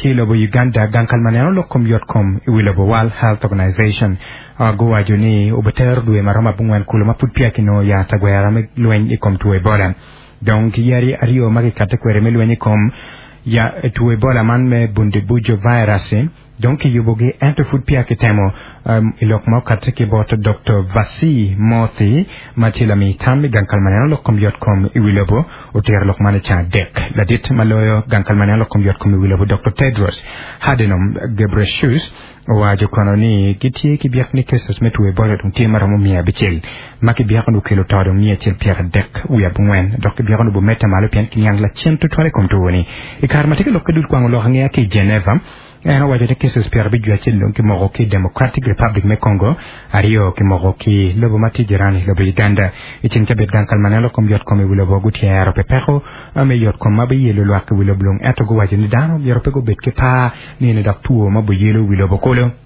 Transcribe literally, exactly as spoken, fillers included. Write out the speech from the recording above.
Ki lobo Uganda gang kal ma neno lok kom yotkom i wi lobo World Health Organization guwaco ni obitero dwe ma romo abongwen kulu ma pud peya kinongo yat agwera me lweny i kom two Ebola. Dong ki yadi aryo ma kikate kwede me lweny i kom ya two Ebola man me Bundibugyo virus dong kiyubogi ento pud peya kitemo um, i lok ma okate ki bot Dr. Vasi Mothi ma tye lami tam i gang kal ma neno lok kom yotkom i wi lobo otero lok man i ca adek ladit ma loyo gang kal ma neno lok kom yotkom i wi lobo Dr. Tedros Adhanom Ghebreyesus owaco kono ni gitye ki byek ni cases me two Ebola dong tye maromo mia abicel ma kibyeko ni okelo to dong mia acel pyera adek wiye abongwen dok kibyeko ni obomedde malo pien kiniang lacen tutwal i kom two-ni i kare ma tye ka lok ki dul kwango lok angeya ki i Geneva en owaco ni cases pyera abic wiye acel dong kimoko ki Democratic Republic me Congo aryo kimoko ki lobo ma tye jirani lobo Uganda i ceng cabit gang kal ma neno lok kom yotkom i wi lobo gutyero pi peko me yotkom ma biyelo lwak i wi lobo lung ento guwaco ni dano myero pe gubed ki par ni eni dok two ma boyelo wi lobo kulu.